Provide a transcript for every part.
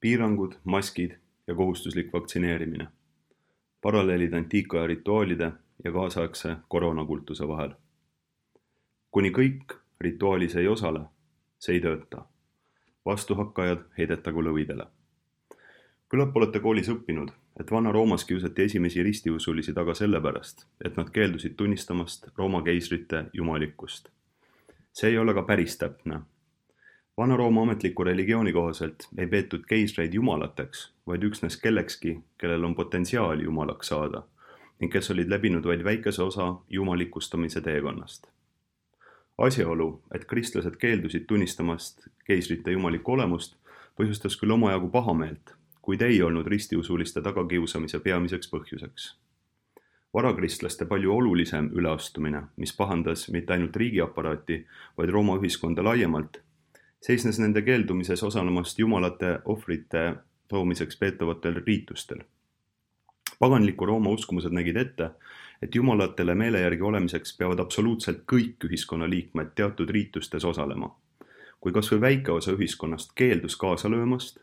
piirangud, maskid ja kohustuslik vaktsineerimine. Paralleelid antiikaja rituaalide ja kaasaegse koroonakultuse vahel. Kuni kõik rituaalis ei osale, see ei tööta. Vastuhakkajad heidetagu lõvidele. Küllap olete koolis õppinud, et Vana-Roomas kiusati esimesi ristiusulisi taga sellepärast, et nad keeldusid tunnistamast Rooma keisrite jumalikkust. See ei ole ka päris täpne. Vana-Rooma ametliku religiooni kohaselt ei peetud keisreid jumalateks, vaid üksnes kellekski, kellel on potentsiaali jumalaks saada ning kes olid läbinud vaid väikese osa jumalikustamise teekonnast. Asjaolu, et kristlased keeldusid tunnistamast keisrite jumalikku olemust, põhjustas küll omajagu pahameelt, kuid ei olnud ristiusuliste tagakiusamise peamiseks põhjuseks. Varakristlaste palju olulisem üleastumine, mis pahandas mitte ainult riigiaparaati, vaid Rooma ühiskonda laiemalt, seisnes nende keeldumises osalemast jumalate ohvrite toomiseks peetavatel riitustel. Paganliku Rooma uskumused nägid ette, et jumalatele meele järgi olemiseks peavad absoluutselt kõik ühiskonna liikmed teatud riitustes osalema. Kui kas või väike osa ühiskonnast keeldus kaasa löömast,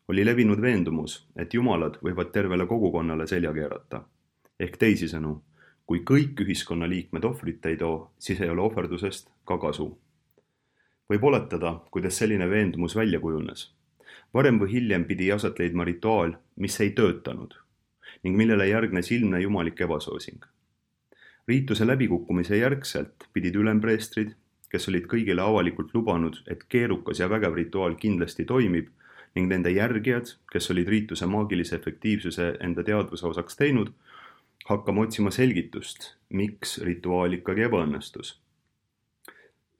oli levinud veendumus, et jumalad võivad tervele kogukonnale selja keerata. Ehk teisisõnu, kui kõik ühiskonna liikmed ohvrit ei too, siis ei ole ohverdusest ka kasu. Võib oletada, kuidas selline veendumus välja kujunes. Varem või hiljem pidi aset leidma rituaal, mis ei töötanud ning millele järgnes ilmne jumalik ebasoosing. Riituse läbikukkumise järgselt pidid ülempreestrid, kes olid kõigile avalikult lubanud, et keerukas ja vägev rituaal kindlasti toimib, ning nende järgijad, kes olid riituse maagilise efektiivsuse enda teadvuse osaks teinud, hakkama otsima selgitust, miks rituaal ikkagi ebaõnnestus.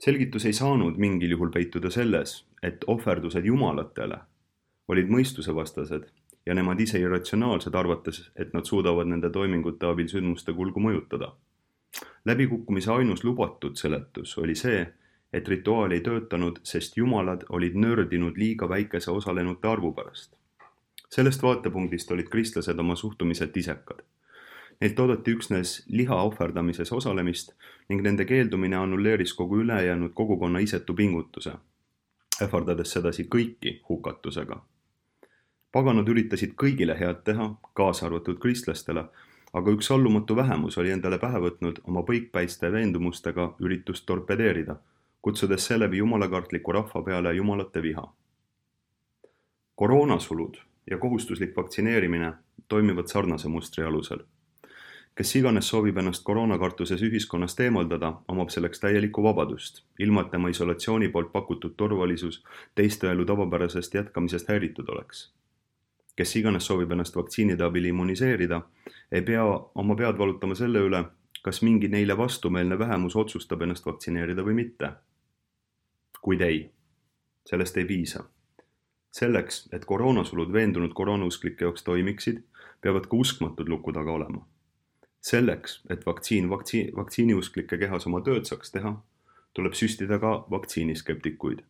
Selgitus ei saanud mingil juhul peituda selles, et ohverdused jumalatele olid mõistusevastased ja nemad ise irratsionaalsed arvates, et nad suudavad nende toimingute abil sündmuste kulgu mõjutada. Läbikukkumise ainus lubatud seletus oli see, et rituaal ei töötanud, sest jumalad olid nördinud liiga väikese osalenute arvu pärast. Sellest vaatepunktist olid kristlased oma suhtumiselt isekad. Neilt oodati üksnes liha ohverdamises osalemist ning nende keeldumine annulleeris kogu ülejäänud kogukonna isetu pingutuse, ähvardades sedasi kõiki hukatusega. Paganad üritasid kõigile head teha, kaasa arvatud kristlastele, aga üks allumatu vähemus oli endale pähe võtnud oma põikpäiste veendumustega üritust torpedeerida, kutsudes seeläbi jumalakartliku rahva peale jumalate viha. Koroonasulud ja kohustuslik vaktsineerimine toimivad sarnase mustri alusel. Kes iganes soovib ennast koroonakartuses ühiskonnast eemaldada, omab selleks täielikku vabadust, ilma et tema isolatsiooni poolt pakutud turvalisus teiste elu tavapärasest jätkamisest häiritud oleks. Kes iganes soovib ennast vaktsiinide abil immuniseerida, ei pea oma pead valutama selle üle, kas mingi neile vastumeelne vähemus otsustab ennast vaktsineerida või mitte. Kuid ei, sellest ei piisa. Selleks, et koroonasulud veendunud koroonausklike jaoks toimiksid, peavad ka uskmatud luku taga olema. Selleks, et vaktsiiniusklike kehas oma tööd saaks teha, tuleb süstida ka vaktsiiniskeptikuid.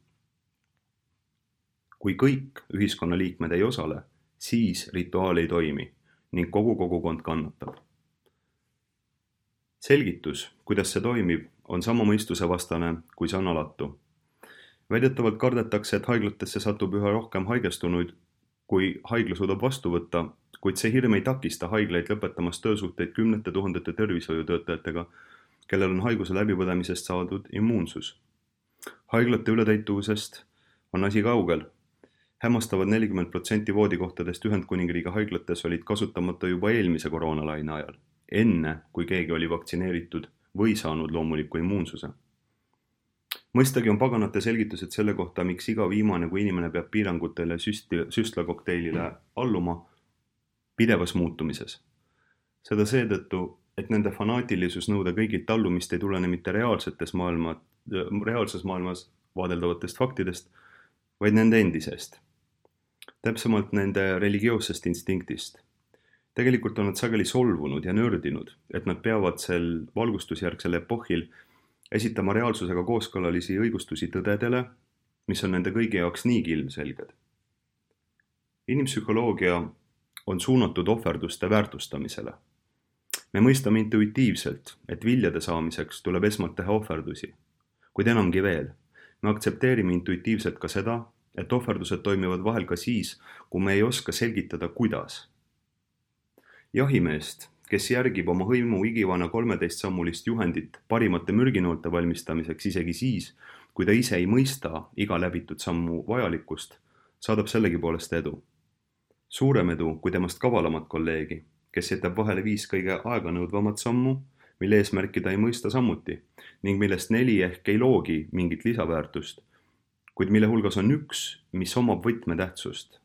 Kui kõik ühiskonna liikmed ei osale, siis rituaal ei toimi ning kogu kogukond kannatab. Selgitus, kuidas see toimib, on sama mõistusevastane kui sanalatu. Väidetavalt kardetakse, et haiglatesse satub üha rohkem haigestunuid, kui haigla suudab vastu võtta, kuid see hirm ei takista haiglaid lõpetamast töösuhteid 10 000 tervishoiutöötajatega, kellel on haiguse läbipõdemisest saadud immuunsus. Haiglate ületäituvusest on asi kaugel. Hämmastavad 40% voodikohtadest Ühendkuningriigi haiglates olid kasutamata juba eelmise koroonalaine ajal, enne kui keegi oli vaktsineeritud või saanud loomuliku immuunsuse. Mõistagi on paganate selgitused selle kohta, miks iga viimane, kui inimene peab piirangutele süstlakokteilile alluma, pidevas muutumises. Seda seetõttu, et nende fanaatilisus nõuda kõigilt allumist ei tulene mitte reaalses maailmas vaadeldavatest faktidest, vaid nende endisest. Täpsemalt nende religioossest instinktist. Tegelikult on nad sageli solvunud ja nördinud, et nad peavad sel valgustusjärgsel epohil esitama reaalsusega kooskõlalisi õigustusi tõdedele, mis on nende kõigi jaoks niigi ilmselged. Inimpsühholoogia on suunatud ohverduste väärtustamisele. Me mõistame intuitiivselt, et viljade saamiseks tuleb esmalt teha ohverdusi, kuid enamgi veel. Me aktsepteerime intuitiivselt ka seda, et ohverdused toimivad vahel ka siis, kui me ei oska selgitada, kuidas. Jahimeest, kes järgib oma hõimu igivana 13-sammulist juhendit parimate mürginoolte valmistamiseks isegi siis, kui ta ise ei mõista iga läbitud sammu vajalikkust, saadab sellegipoolest edu. Suurem edu kui temast kavalamat kolleegi, kes jätab vahele 5 kõige aeganõudvamat sammu, mille eesmärki ta ei mõista samuti ning millest 4 ehk ei loogi mingit lisaväärtust, kuid mille hulgas on üks, mis omab võtmetähtsust.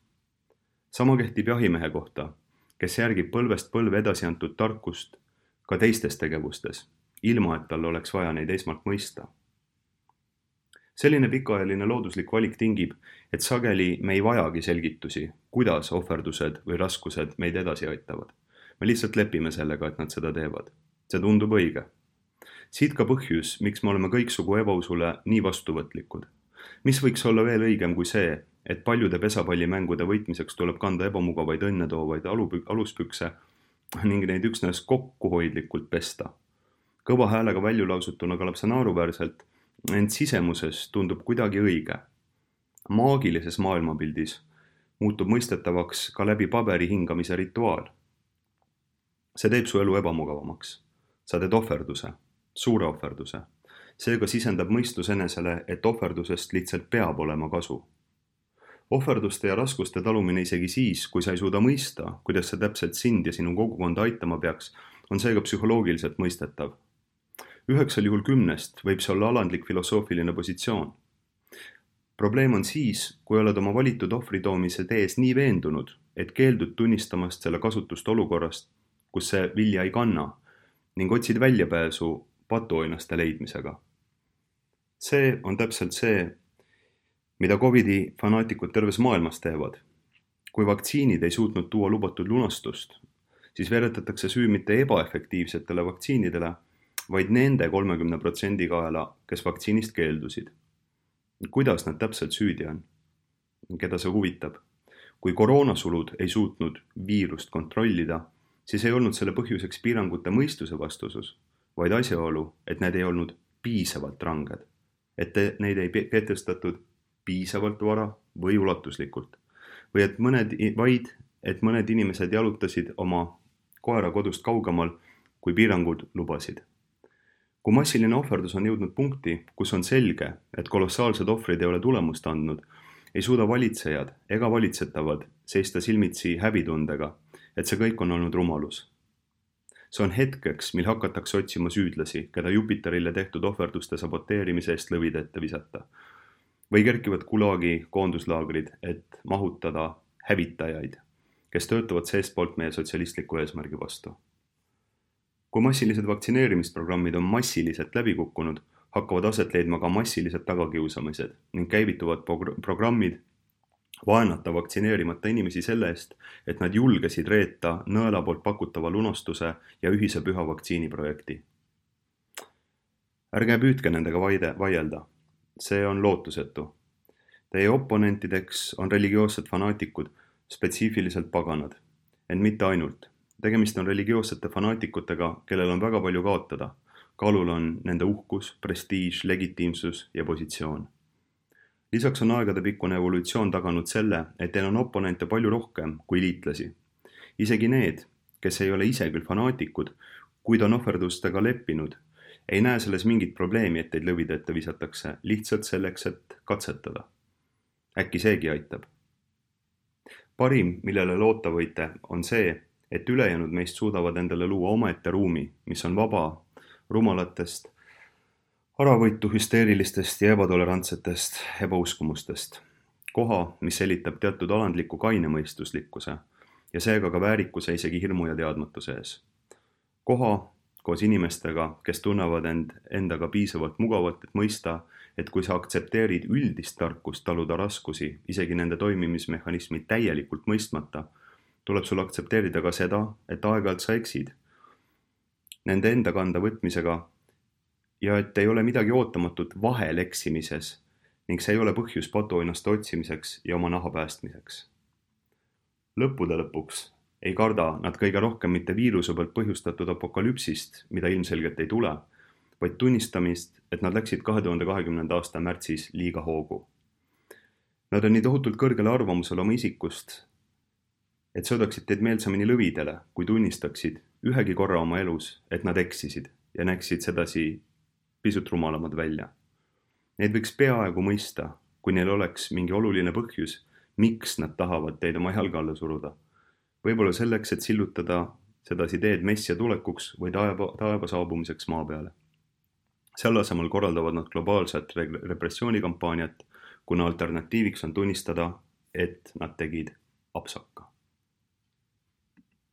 Sama kehtib jahimehe kohta, kes järgib põlvest põlve edasi antud tarkust ka teistes tegevustes, ilma et tal oleks vaja neid esmalt mõista. Selline pikaajaline looduslik valik tingib, et sageli me ei vajagi selgitusi, kuidas ohverdused või raskused meid edasi aitavad. Me lihtsalt lepime sellega, et nad seda teevad. See tundub õige. Siit ka põhjus, miks me oleme kõiksugu ebausule nii vastuvõtlikud. Mis võiks olla veel õigem kui see, et paljude pesapallimängude võitmiseks tuleb kanda ebamugavaid õnnetoovaid aluspükse ning neid üksnes kokkuhoidlikult pesta. Kõva häälega väljulausutuna kõlab see naeruväärselt, ent sisemuses tundub kuidagi õige. Maagilises maailmapildis muutub mõistetavaks ka läbi paberi hingamise rituaal. See teeb su elu ebamugavamaks. Sa teed ohverduse, suure ohverduse. Seega sisendab mõistus enesele, et ohverdusest lihtsalt peab olema kasu. Ohverduste ja raskuste talumine isegi siis, kui sa ei suuda mõista, kuidas see täpselt sind ja sinu kogukonda aitama peaks, on seega psühholoogiliselt mõistetav. 9 juhul 10 võib see olla alandlik filosoofiline positsioon. Probleem on siis, kui oled oma valitud ohvri toomise tees nii veendunud, et keeldud tunnistamast selle kasutust olukorrast, kus see vilja ei kanna, ning otsid väljapääsu patuoinaste leidmisega. See on täpselt see, mida Covidi fanaatikud terves maailmas teevad. Kui vaktsiinid ei suutnud tuua lubatud lunastust, siis veretatakse süü mitte ebaefektiivsetele vaktsiinidele, vaid nende 30% kaela, kes vaktsiinist keeldusid. Kuidas nad täpselt süüdi on? Keda see huvitab? Kui koroonasulud ei suutnud viirust kontrollida, siis ei olnud selle põhjuseks piirangute mõistuse vastusus, vaid asjaolu, et need ei olnud piisavalt ranged, et neid ei kehtestatud piisavalt vara või ulatuslikult, või et mõned inimesed jalutasid oma koera kodust kaugemal, kui piirangud lubasid. Kui massiline ohverdus on jõudnud punkti, kus on selge, et kolossaalsed ohvrid ei ole tulemust andnud, ei suuda valitsejad ega valitsetavad seista silmitsi häbitundega, et see kõik on olnud rumalus. See on hetkeks, mil hakatakse otsima süüdlasi, keda Jupiterile tehtud ohverduste saboteerimise eest lõvide ette visata. Või kerkivad Gulagi koonduslaagrid, et mahutada hävitajaid, kes töötavad seestpoolt meie sotsialistliku eesmärgi vastu. Kui massilised vaktsineerimisprogrammid on massiliselt läbi kukkunud, hakkavad aset leidma ka massilised tagakiusamised ning käivituvad programmid vaenata vaktsineerimata inimesi selle eest, et nad julgesid reeta nõela poolt pakutava lunastuse ja ühise püha vaktsiiniprojekti. Ärge püüdke nendega vaielda. See on lootusetu. Teie oponentideks on religioossed fanaatikud, spetsiifiliselt paganad, ent mitte ainult. Tegemist on religioossete fanaatikutega, kellel on väga palju kaotada. Kaalul on nende uhkus, prestiiž, legitiimsus ja positsioon. Lisaks on aegadepikkune evolutsioon taganud selle, et teil on oponente palju rohkem kui liitlasi. Isegi need, kes ei ole ise küll fanaatikud, kuid on ohverdustega leppinud, ei näe selles mingit probleemi, et teid lõvide ette visatakse, lihtsalt selleks, et katsetada. Äkki seegi aitab. Parim, millele loota võite, on see, et ülejäänud meist suudavad endale luua omaette ruumi, mis on vaba rumalatest, äravõitu hüsteerilistest ja ebatolerantsetest ebauskumustest. Koha, mis selitab teatud alandliku kainemõistuslikkuse ja seega ka väärikuse isegi hirmu ja teadmatuse ees. Koha koos inimestega, kes tunnevad endaga piisavalt mugavalt, et mõista, et kui sa aktsepteerid üldist tarkust taluda raskusi, isegi nende toimimismehhanismi täielikult mõistmata, tuleb sul aktsepteerida ka seda, et aeg-ajalt sa eksid nende enda kanda võtmisega ja et ei ole midagi ootamatut vahel eksimises ning see ei ole põhjus patuoinaste otsimiseks ja oma naha päästmiseks. Lõppude lõpuks ei karda nad kõige rohkem mitte viiruse pealt põhjustatud apokalüpsist, mida ilmselgelt ei tule, vaid tunnistamist, et nad läksid 2020. aasta märtsis liiga hoogu. Nad on nii tohutult kõrgel arvamusel oma isikust, et söödaksid teid meelsamini lõvidele, kui tunnistaksid ühegi korra oma elus, et nad eksisid ja näeksid sedasi pisut rumalamad välja. Neid võiks peaaegu mõista, kui neil oleks mingi oluline põhjus, miks nad tahavad teid oma jalge alla suruda. Võib-olla selleks, et sillutada sedasi teed messia tulekuks või taeva saabumiseks maa peale. Selle asemel korraldavad nad globaalset repressioonikampaaniat, kuna alternatiiviks on tunnistada, et nad tegid apsaka.